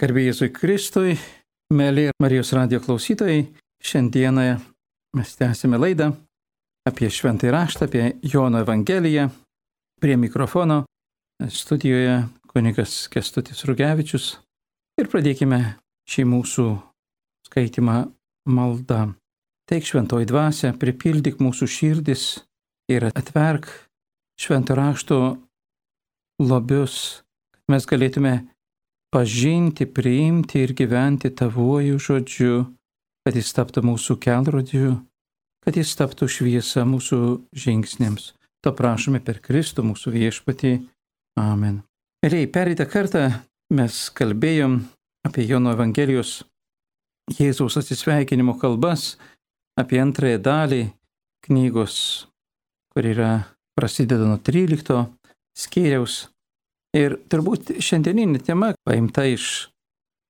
Garbė Jėzui Kristui, mėly Marijos radijo klausytojai, šiandieną mes tęsime laidą apie Šventąjį Raštą, apie Jono Evangeliją. Prie mikrofono studijoje kunigas Kęstutis Rugevičius ir pradėkime šį mūsų skaitimą maldą. Teik Šventoji Dvasia, pripildyk mūsų širdis ir atverk Švento Rašto lobius, kad mes galėtume pažinti, priimti ir gyventi Tavuoju žodžiu, kad jis taptų mūsų kelrodžiu, kad jis taptų šviesa mūsų žingsniams. To prašome per Kristų mūsų viešpatį. Amen. Mėlyjei, pereitą kartą mes kalbėjom apie Jono Evangelijos Jėzaus atsisveikinimo kalbas, apie antrąją dalį knygos, kur prasideda nuo 13 skyriaus. Ir turbūt šiandieninė tema paimta iš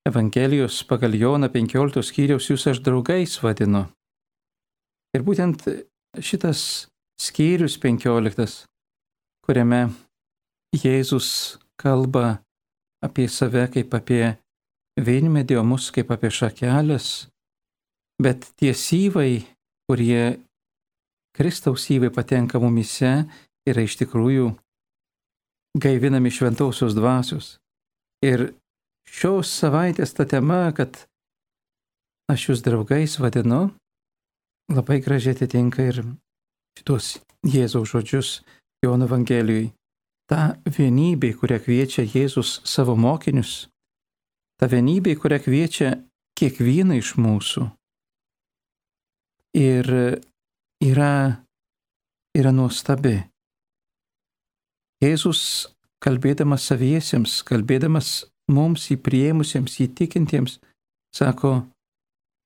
Evangelijos pagal Joną 15 skyriaus Jūs aš draugais vadinu. Ir būtent šitas skyrius 15, kuriame Jėzus kalba apie save kaip apie vynmedį, o mus kaip apie šakelės, bet tie syvai, kurie Kristaus syvai patenka mumyse, yra iš tikrųjų gaivinami šventosios dvasios. Ir šios savaitės ta tema, kad aš jūs draugais vadinu, labai gražiai atitinka ir šitos Jėzaus žodžius Jono Evangelijui. Ta vienybė, kurią kviečia Jėzus savo mokinius, ta vienybė, kurią kviečia kiekvieną iš mūsų, ir yra nuostabi. Jėzus, kalbėdamas saviesiems, kalbėdamas mums įpriėmusiems, įtikintiems, sako,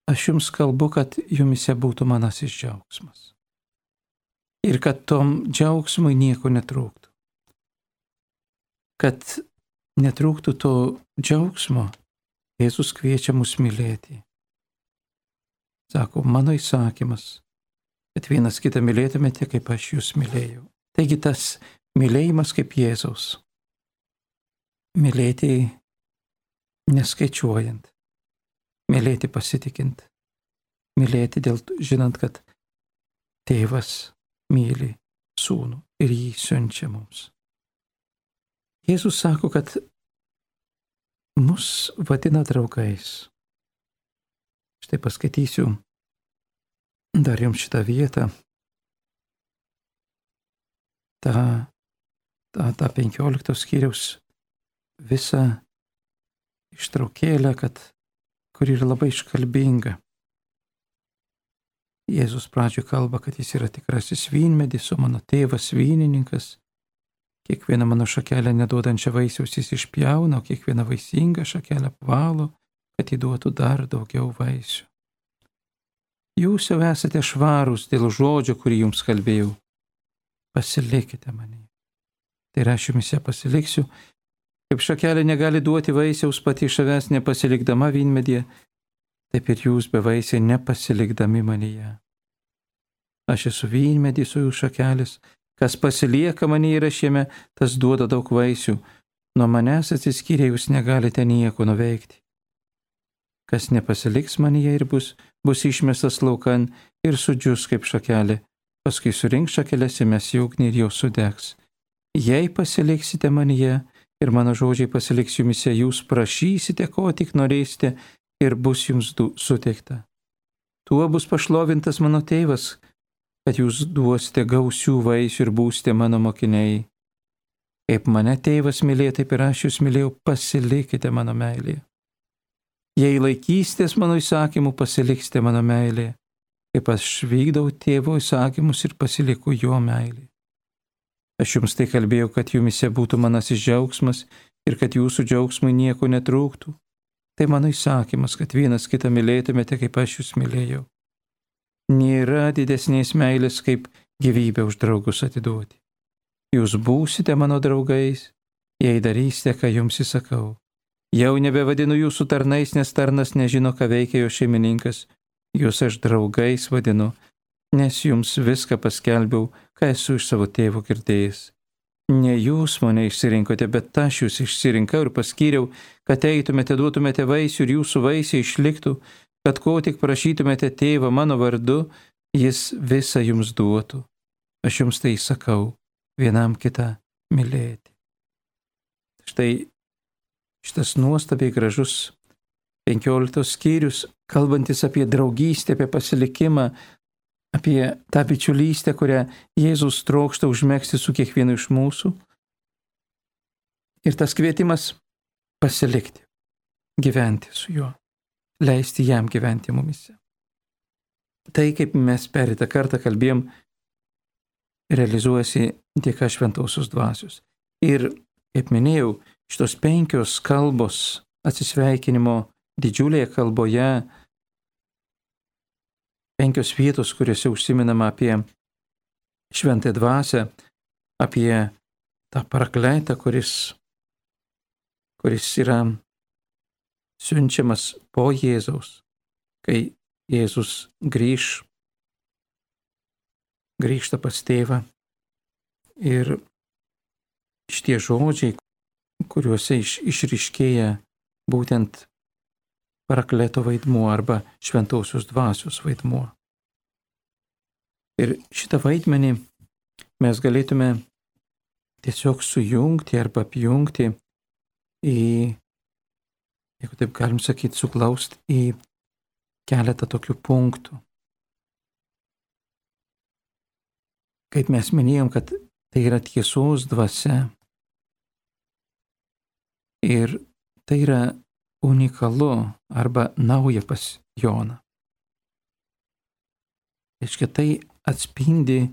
aš jums kalbu, kad jumise būtų manasis džiaugsmas. Ir kad tom džiaugsmui nieko netrūktų. Kad netrūktų to džiaugsmo, Jėzus kviečia mus mylėti. Sako, mano įsakymas, kad vienas kitą mylėtumėte, kaip aš jūs mylėjau. Taigi tas mylėjimas kaip Jėzaus. Mylėti neskaičiuojant. Mylėti pasitikint. Mylėti žinant, kad tėvas myli sūnų ir jį siunčia mums. Jėzus sako, kad mus vadina draugais. Štai paskaitysiu dar jums šitą vietą. Ta 15 skyriaus visą ištraukėlę, kur yra labai iškalbinga. Jėzus pradžioje kalba, kad jis yra tikrasis vynmedis, o mano tėvas vynininkas. Kiekvieną mano šakelę neduodančią vaisiaus jis išpjauna, o kiekvieną vaisingą šakelę apvalo, kad įduotų dar daugiau vaisių. Jūs jau esate švarūs dėl žodžio, kurį jums kalbėjau. Pasilikite mane. Tai aš jumise pasiliksiu, kaip šakelė negali duoti vaisiaus pati iš savęs nepasilikdama vynmedyje, taip ir jūs bevaisiai nepasilikdami manyje. Aš esu vynmedys, o jūs šakelės, kas pasilieka manyje ir aš jame, tas duoda daug vaisių, nuo manęs atsiskyrę jūs negalite nieko nuveikti. Kas nepasiliks manyje ir bus išmestas laukan ir sudžius kaip šakelė, paskui surink šakeles įmes į ugnį ir jos sudegs. Jei pasiliksite manyje ir mano žodžiai pasiliks jumise, jūs prašysite, ko tik norėsite ir bus jums suteikta. Tuo bus pašlovintas mano tėvas, kad jūs duosite gausių vaisių ir būsite mano mokiniai. Kaip mane tėvas mylėjo, taip ir aš jūs mylėjau, pasilikite mano meilėje. Jei laikysitės mano įsakymų, pasiliksite mano meilėje. Kaip aš vykdau tėvo įsakymus ir pasiliku jo meilį. Aš jums tai kalbėjau, kad jumise būtų manasis džiaugsmas ir kad jūsų džiaugsmui nieko netrūktų. Tai mano įsakymas, kad vienas kitą mylėtumėte, kaip aš jūs mylėjau. Nėra didesnės meilės, kaip gyvybę už draugus atiduoti. Jūs būsite mano draugais, jei darysite, ką jums įsakau. Jau nebevadinu jūsų tarnais, nes tarnas nežino, ką veikia jo šeimininkas. Jūs aš draugais vadinu, nes jums viską paskelbiau, ką esu iš savo tėvo girdėjęs. ne jūs mane išsirinkote, bet aš jūs išsirinkau ir paskyriau, kad eitumėte, duotumėte vaisių ir jūsų vaisiai išliktų, kad ko tik prašytumėte tėvą mano vardu, jis visą jums duotų. Aš jums tai sakau, vienam kitą mylėti. Štai šitas nuostabiai gražus 15 skyrius, kalbantis apie draugystę, apie pasilikimą, apie tą bičiulystę, kurią Jėzus trokšta užmegzti su kiekvienu iš mūsų. Ir tas kvietimas pasilikti, gyventi su juo, leisti jam gyventi mumise. Tai, kaip mes pereitą kartą kalbėjom, realizuojasi dėka šventosios dvasios. Ir, kaip minėjau, šitos 5 kalbos atsisveikinimo didžiulėje kalboje, 5 vietos, kuriuose užsiminama apie šventąją dvasią, apie tą parakleitą, kuris yra siunčiamas po Jėzaus, kai Jėzus grįžta pas tėvą. Ir šitie žodžiai, kuriuose išryškėja būtent parakleto vaidmuo arba šventosios dvasios vaidmuo. Ir šitą vaidmenį mes galėtume tiesiog sujungti arba apjungti į, jeigu taip galim sakyti, suklausti į keletą tokių punktų. Kaip mes minėjom, kad tai yra tiesos dvasia ir tai yra unikalu arba nauja pas Joną. Reiškia, tai atspindi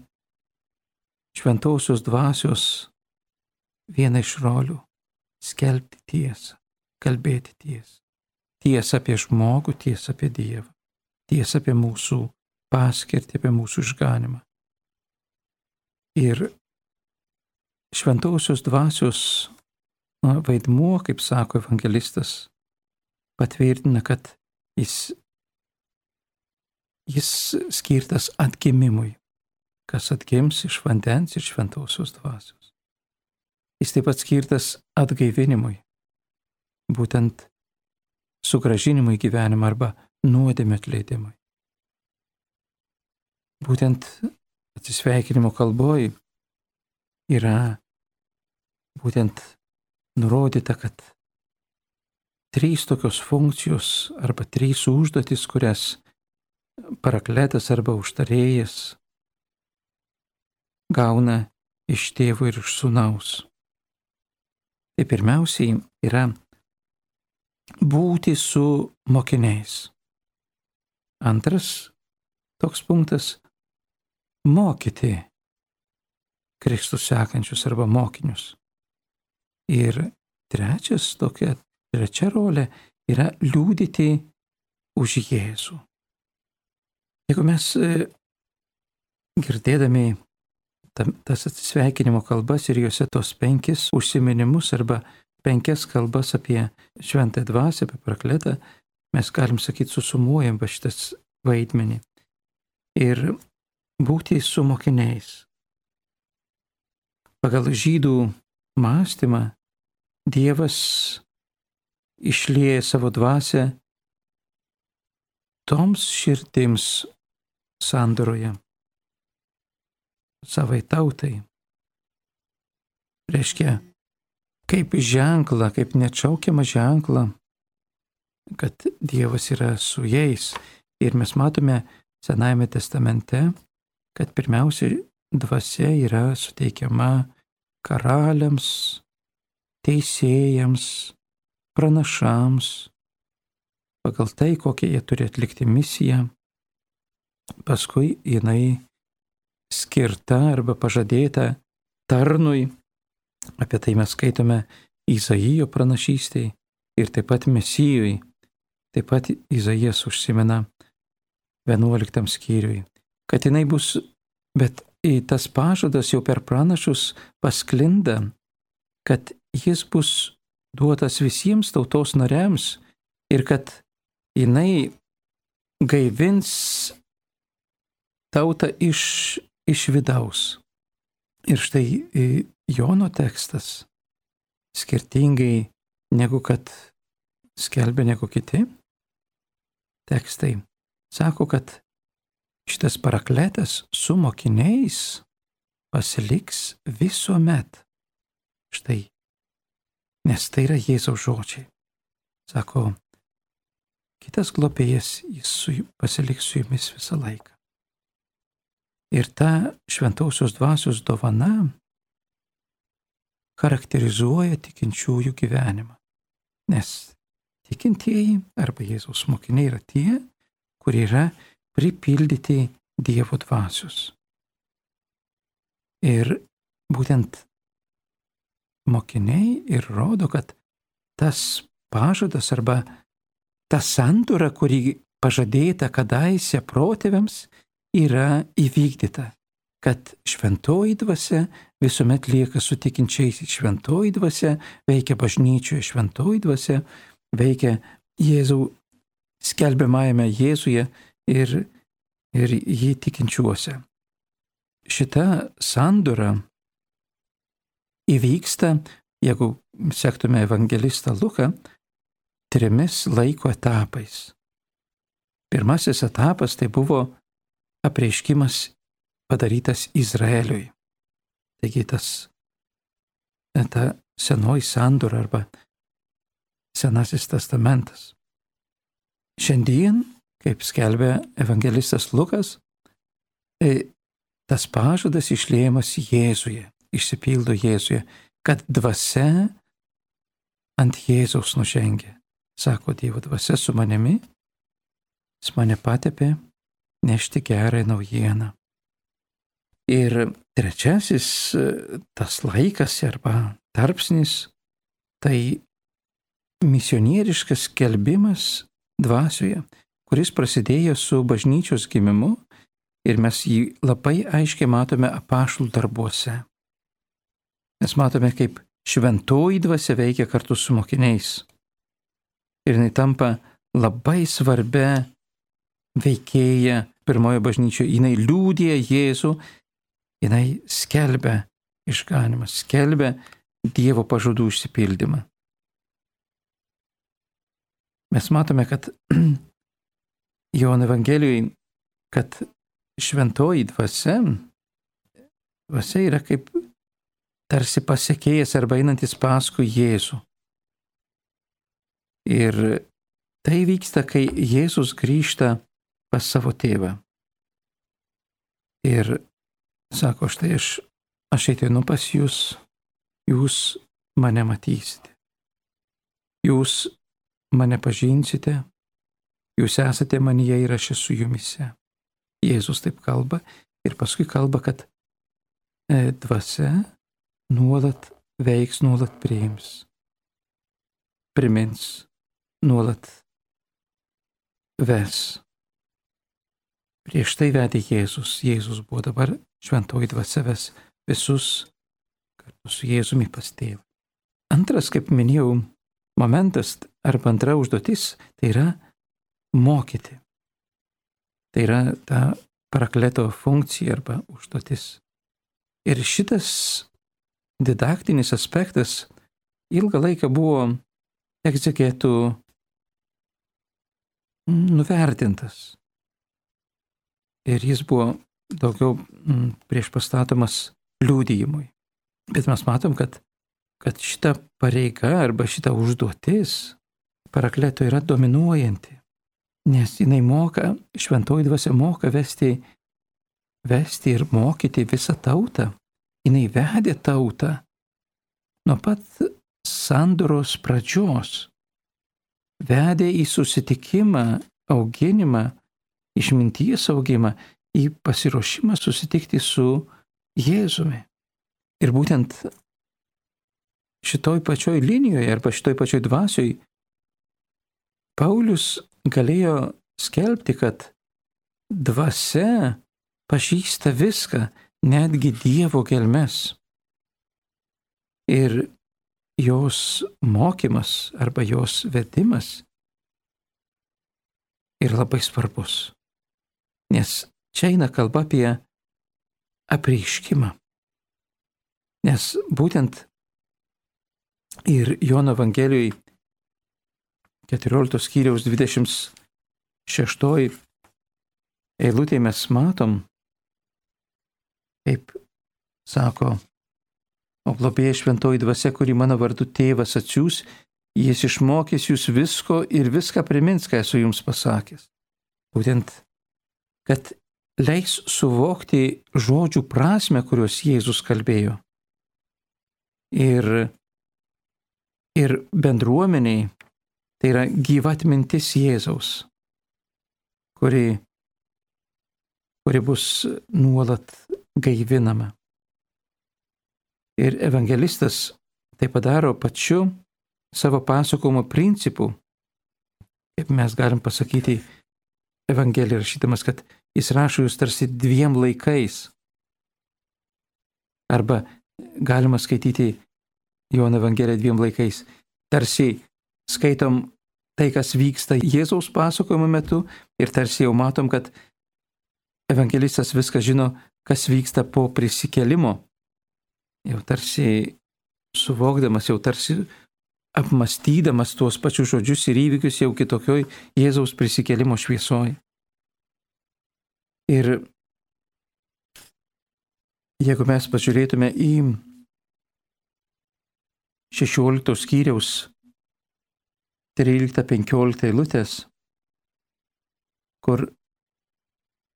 šventosios dvasios vieną iš rolių - skelbti tiesą, kalbėti tiesą. Tiesą apie žmogų, tiesą apie Dievą, tiesą apie mūsų paskirtį, apie mūsų išganimą. Ir šventosios dvasios vaidmuo, kaip sako evangelistas, patvirtina, kad jis skirtas atgimimui, kas atgims iš vandens ir šventosios dvasios. Jis taip pat skirtas atgaivinimui, būtent sugrąžinimui gyvenimą arba nuodėmės atleidimui. Būtent atsisveikinimo kalboj yra būtent nurodyta, kad 3 tokios funkcijos arba 3 užduotis, kurias parakletas arba užtarėjas gauna iš tėvo ir iš sūnaus. Tai pirmiausiai yra būti su mokiniais. Antras toks punktas - mokyti Kristus sekančius arba mokinius. Ir trečia rolė yra liudyti už Jėzų. Jeigu mes girdėdami tas atsisveikinimo kalbas ir juose tos 5 užsiminimus arba 5 kalbas apie šventąją dvasią, apie parakletą, mes galim sakyti, susumuojam va šitas vaidmenį. Ir būti su mokiniais. Pagal žydų mąstymą Dievas išlieja savo dvasią toms širdims sandoroje, savai tautai. Reiškia, kaip ženklą, kaip neatšaukiamą ženklą, kad Dievas yra su jais. Ir mes matome Senajame testamente, kad pirmiausia dvasia yra suteikiama karaliams, teisėjams, pranašams, pagal tai, kokią jie turi atlikti misiją. Paskui jinai skirta arba pažadėta tarnui. Apie tai mes skaitome Izaijo pranašystėje ir taip pat Mesijui. Taip pat Izaijas užsimena 11 skyriui, kad jinai bus, bet tas pažadas jau per pranašus pasklinda, kad jis bus duotas visiems tautos nariams ir kad jinai gaivins tautą iš vidaus. Ir štai Jono tekstas, skirtingai negu kad skelbia negu kiti tekstai, sako, kad šitas parakletas su mokiniais pasiliks visuomet. Štai, nes tai yra Jėzaus žodžiai. Sako, kitas globėjas, jis pasiliks su jumis visą laiką. Ir ta šventosios dvasios dovana charakterizuoja tikinčiųjų gyvenimą. Nes tikintieji arba Jėzaus mokiniai yra tie, kurie yra pripildyti Dievo dvasios. Ir būtent mokiniai ir rodo, kad tas pažadas arba ta sandora, kuri pažadėta kadaise protėviams, yra įvykdyta, kad šventoji dvasia visuomet lieka su tikinčiaisiais. Šventoji dvasia veikia bažnyčioje, šventoji dvasia veikia Jėzau skelbiamajame Jėzuje ir jį tikinčiuose. Šita sandora įvyksta, jeigu sektume evangelistą Luką, 3 laiko etapais. Pirmasis etapas tai buvo apreiškimas padarytas Izraeliui. Taigi ta senoji sandora arba Senasis testamentas. Šiandien, kaip skelbia evangelistas Lukas, tas pažadas išliejamas Jėzuje, išsipildo Jėzuje, kad dvasia ant Jėzaus nužengia. Sako, Dievo dvasia su manimi, jis mane patepė nešti gerąją naujieną. Ir trečiasis tas laikas arba tarpsnis, tai misionieriškas skelbimas dvasioje, kuris prasidėjo su bažnyčios gimimu ir mes jį labai aiškiai matome apaštalų darbuose. Mes matome, kaip šventoji dvasia veikia kartu su mokiniais. Ir jinai tampa labai svarbia veikėja pirmojo bažnyčioje. Jinai liudija Jėzų, jinai skelbia išganymą, skelbia Dievo pažadų išsipildymą. Mes matome, kad Jono Evangelijoje, kad šventoji dvasia yra kaip tarsi pasekėjas arba einantis paskui Jėzų. Ir tai vyksta, kai Jėzus grįžta pas savo tėvą. Ir sako, štai aš ateinu pas jūs, jūs mane matysite. Jūs mane pažinsite, jūs esate manyje ir aš esu jumise. Jėzus taip kalba ir paskui kalba, kad dvasia nuolat veiks, nuolat priims, primins, nuolat ves. Prieš tai vedė Jėzus. Jėzus buvo, dabar šventoji dvasia ves visus kartu su Jėzumi pas tėvą. Antras, kaip minėjau, momentas arba antra užduotis, tai yra mokyti. Tai yra ta parakleto funkcija arba užduotis. Ir šitas didaktinis aspektas ilgą laiką buvo egzegetų nuvertintas. Ir jis buvo daugiau priešpastatomas liudijimui. Bet mes matom, kad šita pareiga arba šita užduotis parakleto yra dominuojanti. Nes jinai moka, šventoji dvasia moka vesti ir mokyti visą tautą. Jinai vedė tautą nuo pat sandoros pradžios. Vedė į susitikimą, auginimą, išminties augimą, į pasiruošimą susitikti su Jėzumi. Ir būtent šitoj pačioj linijoje arba šitoj pačioj dvasioj Paulius galėjo skelbti, kad dvasia pažįsta viską, netgi Dievo gelmes. Ir jos mokymas arba jos vedimas yra labai svarbus. Nes čia eina kalba apie apreiškimą. Nes būtent ir Jono Evangelijoje 14 skyriaus 26 eilutėje mes matom, kaip sako, o globėja šventoji dvasia, kuri mano vardu tėvas atsiųs, jis išmokys jūs visko ir viską primins, ką esu jums pasakęs. Būtent, kad leis suvokti žodžių prasme, kuriuos Jėzus kalbėjo. Ir bendruomeniai tai yra gyva atmintis Jėzaus, kuri bus nuolat gaivinama. Ir evangelistas tai padaro pačiu savo pasakojimo principu, kaip mes galim pasakyti Evangeliją rašydamas, kad jis rašo jūs tarsi dviem laikais. Arba galima skaityti Jono Evangeliją dviem laikais. Tarsi skaitom tai, kas vyksta Jėzaus pasakojimo metu ir tarsi jau matom, kad evangelistas viską žino, kas vyksta po prisikėlimo. Jau tarsi suvokdamas, jau tarsi apmastydamas tuos pačius žodžius ir įvykius jau kitokioj Jėzaus prisikėlimo šviesoj. Ir jeigu mes pažiūrėtume į 16 skyriaus 13-15 eilutės, kur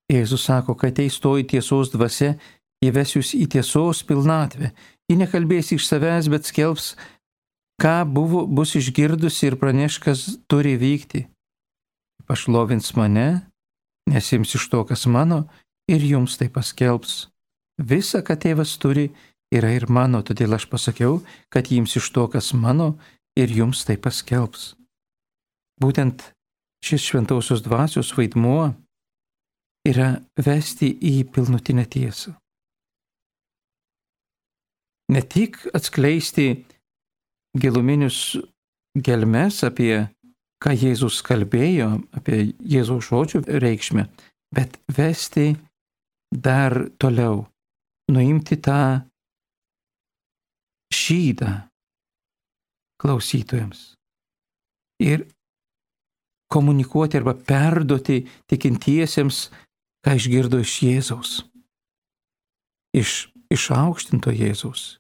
Jėzus sako, kad ateis toji tiesos dvasia, ji ves jūs į tiesos pilnatvę. Ji nekalbės iš savęs, bet skelbs, ką bus išgirdusi ir praneš, kas turi vykti. Pašlovins mane, nes ims iš to, kas mano, ir jums tai paskelbs. Visa, ką tėvas turi, yra ir mano, todėl aš pasakiau, kad jums iš to, kas mano, ir jums tai paskelbs. Būtent šis šventosios dvasios vaidmuo yra vesti į pilnutinę tiesą. Ne tik atskleisti giluminius gelmes apie ką Jėzus kalbėjo, apie Jėzaus žodžių reikšmę, bet vesti dar toliau, nuimti tą šydą klausytojams ir komunikuoti arba perduoti tikintiesiems, ką išgirdo iš Jėzaus, iš išaukštinto Jėzaus,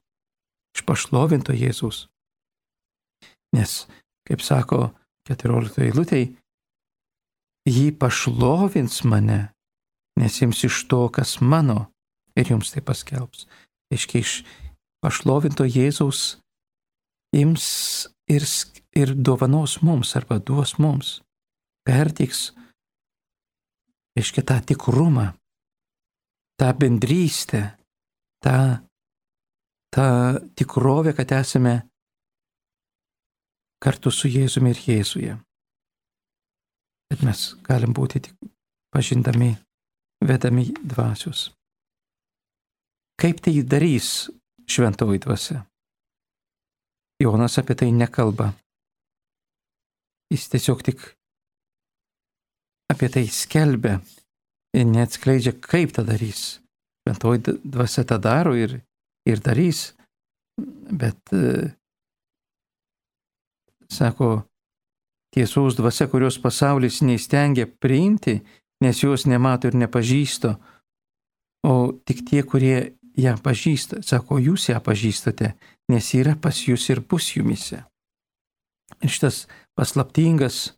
iš pašlovinto Jėzaus. Nes, kaip sako 14 eilutėj, jį pašlovins mane, nes jums iš to, kas mano, ir jums tai paskelbs. Aiškiai, iš pašlovinto Jėzaus ims ir dovanos mums, arba duos mums, perteiks, aiškiai, tą tikrumą, tą bendrystę, tą tikrovę, kad esame kartu su Jėzumi ir Jėzuje. Bet mes galim būti tik pažindami, vedami dvasios. Kaip tai darys šventoji dvasia? Jonas apie tai nekalba. Jis tiesiog tik apie tai skelbia ir neatskleidžia, kaip tą darys. Šventoji dvasia tą daro ir darys, bet sako, tiesos dvasia, kurios pasaulis neįstengia priimti, nes jos nemato ir nepažįsta, o tik tie, kurie ją pažįsta. Sako, jūs ją pažįstate, nes yra pas jūs ir bus jumise. Ir šitas paslaptingas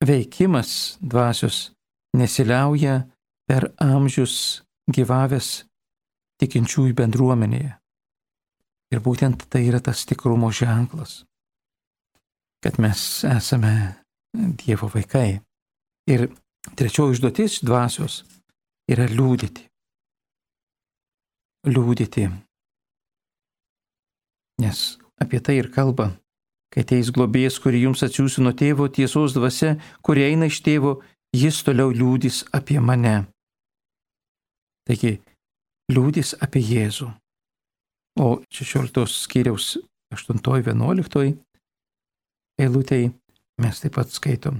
veikimas dvasios nesiliauja per amžius gyvavęs tikinčiųjų bendruomenėje. Ir būtent tai yra tas tikrumo ženklas, kad mes esame Dievo vaikai. Ir trečioji užduotis dvasios yra liudyti. Liudyti. Nes apie tai ir kalba, kai ateis globėjas, kurį jums atsiųsiu nuo tėvo, tiesos dvasia, kuri eina iš tėvo, jis toliau liudys apie mane. Taigi, liudys apie Jėzų. O 16 skyriaus 8-11 eilutėj mes taip pat skaitom.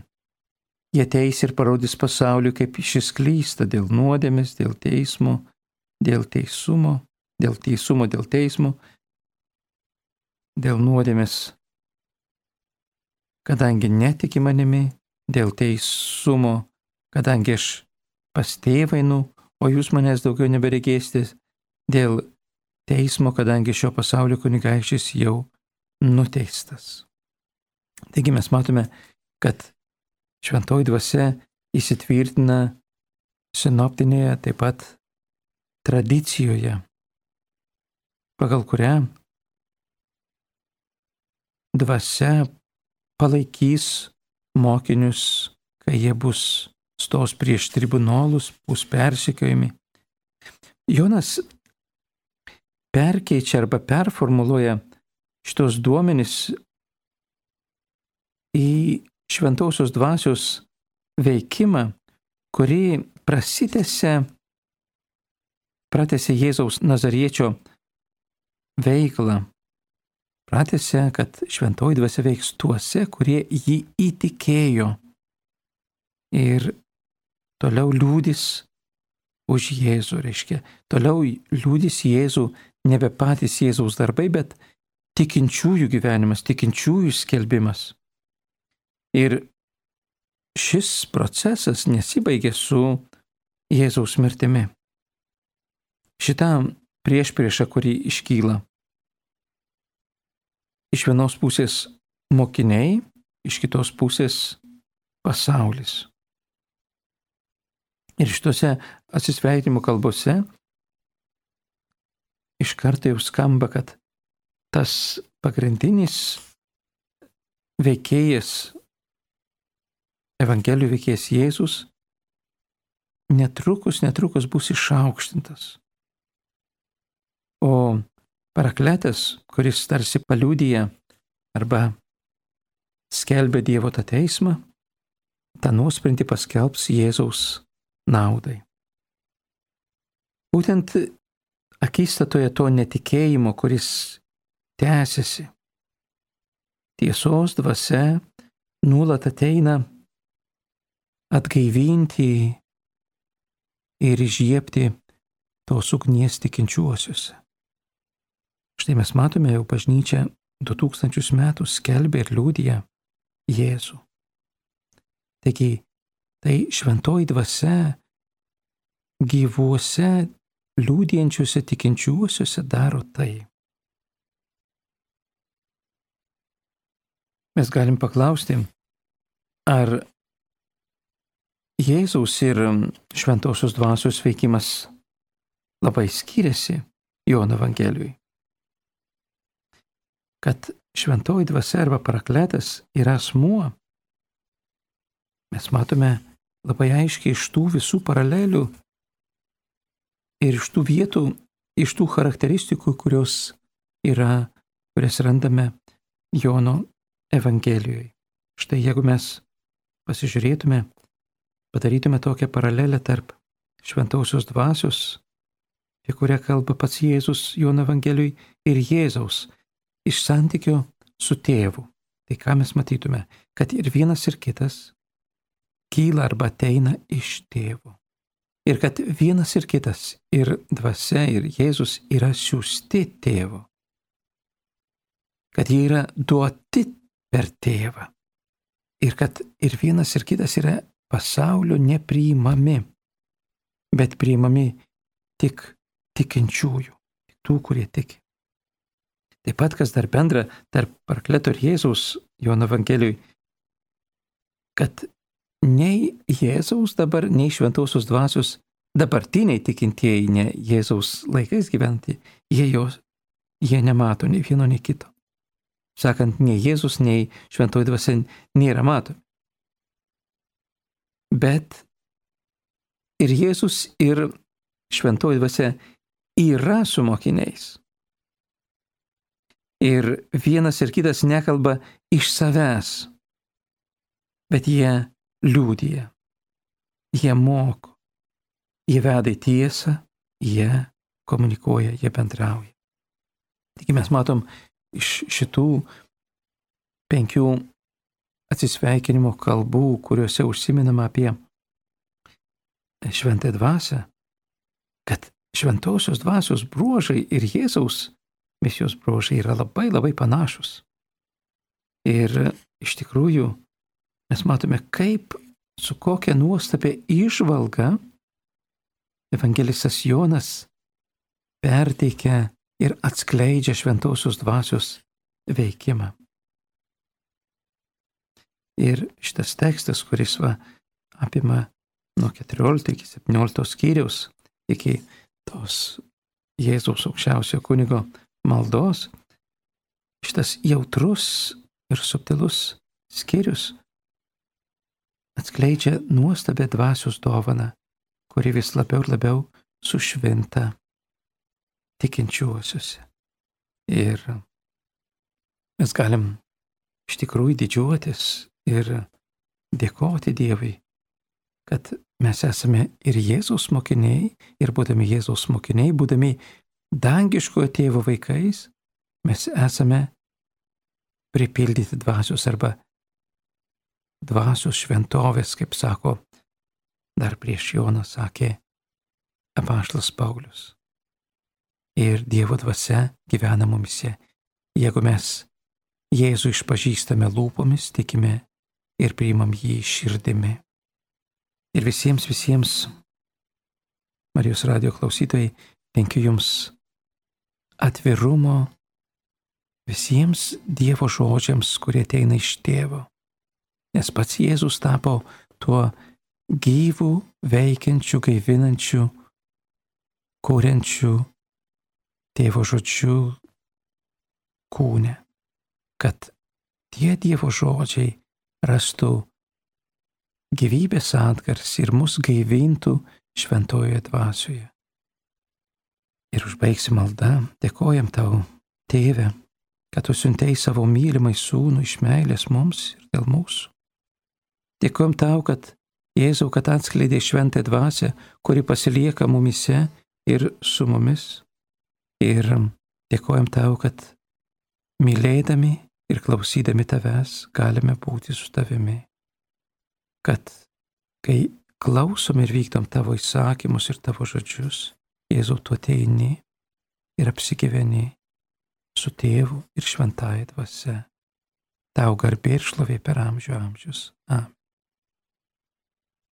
Jie ateis ir parodys pasauliui, kaip šis klysta dėl nuodėmės, dėl teismo, dėl teisumo, dėl teismo dėl nuodėmės, kadangi netiki manimi, dėl teisumo, kadangi aš pas tėvą einu, o jūs manęs daugiau neberegėsite, dėl teismo, kadangi šio pasaulio kunigaikštis jau nuteistas. Taigi mes matome, kad šventoji dvasia įsitvirtina sinoptinėje taip pat tradicijoje, pagal kurią dvasia palaikys mokinius, kai jie stos prieš tribunolus, bus persekiojami. Jonas perkeičia arba performuluoja šitos duomenys į šventosios dvasios veikimą, kuri pratęsė Jėzaus Nazariečio veiklą. Pratęsė, kad šventoji dvasia veiks tuose, kurie jį įtikėjo ir toliau liūdis už Jėzų, reiškia, toliau liūdis Jėzų nebe patys Jėzaus darbai, bet tikinčiųjų gyvenimas, tikinčiųjų skelbimas. Ir šis procesas nesibaigė su Jėzaus mirtimi. Šitą priešpriešą, kuri iškyla. Iš vienos pusės mokiniai, iš kitos pusės pasaulis. Ir šitose atsisveikinimo kalbose iš karto jau skamba, kad tas pagrindinis veikėjas, Evangelijų veikėjas Jėzus, netrukus bus išaukštintas. O Parakletas, kuris tarsi paliudija arba skelbia Dievo tą teismą, tą nuosprendį paskelbs Jėzaus naudai. Būtent akistatoje to netikėjimo, kuris tęsiasi, tiesos dvasia nuolat ateina atgaivinti ir įžiebti tos ugnies tikinčiuosiuose. Štai mes matome, jau bažnyčia 2000 metų skelbia ir liudija Jėzų. Taigi, tai šventoji dvasia gyvuose, liudijančiuose tikinčiuosiuose daro tai. Mes galim paklausti, ar Jėzaus ir šventosios dvasios veikimas labai skiriasi Jono Evangelijui. Kad šventoji dvasia arba parakletas yra asmuo, mes matome labai aiškiai iš tų visų paralelių ir iš tų vietų, iš tų charakteristikų, kurias randame Jono Evangelijoje. Štai jeigu mes pasižiūrėtume, padarytume tokią paralelę tarp šventosios dvasios, apie kurią kalba pats Jėzus Jono Evangelijoje, ir Jėzaus iš santykio su tėvu. Tai ką mes matytume? Kad ir vienas ir kitas kyla arba ateina iš tėvo. Ir kad vienas ir kitas, ir dvasia, ir Jėzus yra siųsti tėvo. Kad jie yra duoti per tėvą. Ir kad ir vienas ir kitas yra pasaulio nepriimami, bet priimami tik tikinčiųjų, tik tų, kurie tiki. Taip pat, kas dar bendra tarp Parakleto ir Jėzaus Jono Evangelijui, kad nei Jėzaus dabar, nei šventosios dvasios dabartiniai tikintieji, ne Jėzaus laikais gyventi, jie nemato nei vieno, nei kito. Sakant, nei Jėzus, nei šventoji dvasia nėra matomi. Bet ir Jėzus, ir šventoji dvasia yra su mokiniais. Ir vienas ir kitas nekalba iš savęs, bet jie liudija, jie moko, jie veda į tiesą, jie komunikuoja, jie bendrauja. Taigi mes matom iš šitų 5 atsisveikinimo kalbų, kuriuose užsiminama apie šventąją dvasią, kad šventosios dvasios bruožai ir Jėzaus misijos bruožai yra labai labai panašus. Ir iš tikrųjų mes matome, kaip su kokia nuostabia įžvalga evangelistas Jonas perteikia ir atskleidžia šventosios dvasios veikimą. Ir šitas tekstas, kuris apima nuo 14 iki 17 skyriaus, iki tos Jėzaus aukščiausio kunigo maldos, šitas jautrus ir subtilus skyrius atskleidžia nuostabią dvasios dovaną, kuri vis labiau ir labiau sušvinta tikinčiuosiuose. Ir mes galim iš tikrųjų didžiuotis ir dėkoti Dievui, kad mes esame ir Jėzaus mokiniai, ir būdami Jėzaus mokiniai, būdami dangiškojo tėvo vaikais, mes esame pripildyti dvasios arba dvasios šventovės, kaip sako, dar prieš Joną sakė apaštalas Paulius. Ir Dievo dvasia gyvena mumise, jeigu mes Jėzų išpažįstame lūpomis, tikime ir priimam jį širdimi. Ir visiems Marijos radijo klausytojai, linkiu jums atvirumo visiems Dievo žodžiams, kurie ateina iš tėvo. Nes pats Jėzus tapo tuo gyvų, veikiančių, gaivinančių, kuriančių tėvo žodžių kūne, kad tie Dievo žodžiai rastų gyvybės atgarsį ir mus gaivintų šventojoje dvasioje. Ir užbaigsim maldą, dėkojam tau, Tėve, kad tu siuntei savo mylimai sūnų iš meilės mums ir dėl mūsų. Dėkojam tau, kad Jėzau, kad atskleidė šventąją dvasią, kuri pasilieka mumise ir su mumis. Ir dėkojam tau, kad mylėdami ir klausydami tavęs galime būti su tavimi. Kad kai klausom ir vykdom tavo įsakymus ir tavo žodžius, Jėzau, tu ateini ir apsigyveni su tėvu ir šventąja dvasia. Tau garbė ir šlovė per amžių amžius. Amen.